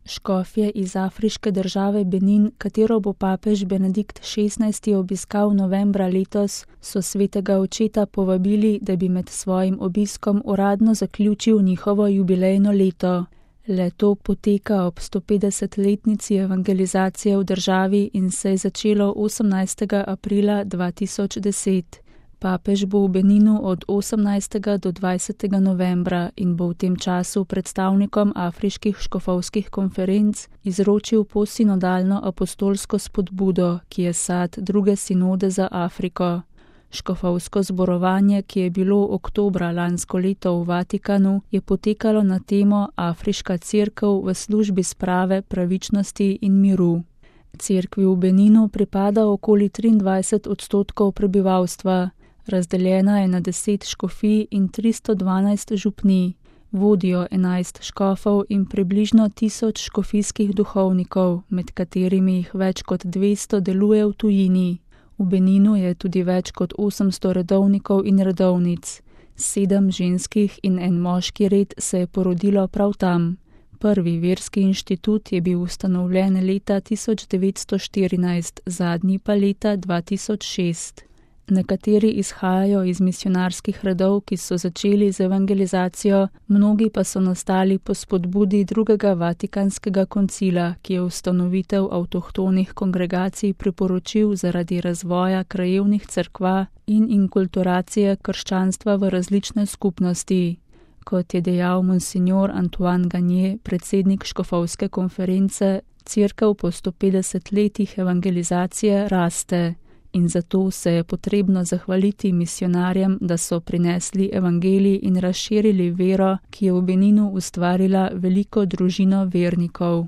Škofje iz afriške države Benin, katero bo papež Benedikt XVI. Obiskal novembra letos, so svetega očeta povabili, da bi med svojim obiskom uradno zaključil njihovo jubilejno leto. Le-to poteka ob 150-letnici evangelizacije v državi in se je začelo 18. aprila 2010. Papež bo v Beninu od 18. do 20. novembra in bo v tem času predstavnikom afriških škofovskih konferenc izročil posinodalno apostolsko spodbudo, ki je sad druge sinode za Afriko. Škofovsko zborovanje, ki je bilo oktobra lansko leto v Vatikanu, je potekalo na temo Afriška cerkev v službi sprave, pravičnosti in miru. Cerkvi v Beninu pripada okoli 23% prebivalstva. Razdeljena je na 10 škofij in 312 župnij. Vodijo 11 škofov in približno 1000 škofijskih duhovnikov, med katerimi jih več kot 200 deluje v tujini. V Beninu je tudi več kot 800 redovnikov in redovnic. 7 ženskih in 1 moški red se je porodilo prav tam. Prvi verski inštitut je bil ustanovljen leta 1914, zadnji pa leta 2006. Nekateri izhajajo iz misionarskih redov, ki so začeli z evangelizacijo, mnogi pa so nastali po spodbudi drugega Vatikanskega koncila, ki je ustanovitev avtohtonih kongregacij priporočil zaradi razvoja krajevnih cerkva in inkulturacije krščanstva v različne skupnosti. Kot je dejal monsignor Antoine Gagné, predsednik škofovske konference, cerkev po 150 letih evangelizacije raste. In zato se je potrebno zahvaliti misionarjem, da so prinesli evangelij in razširili vero, ki je v Beninu ustvarila veliko družino vernikov.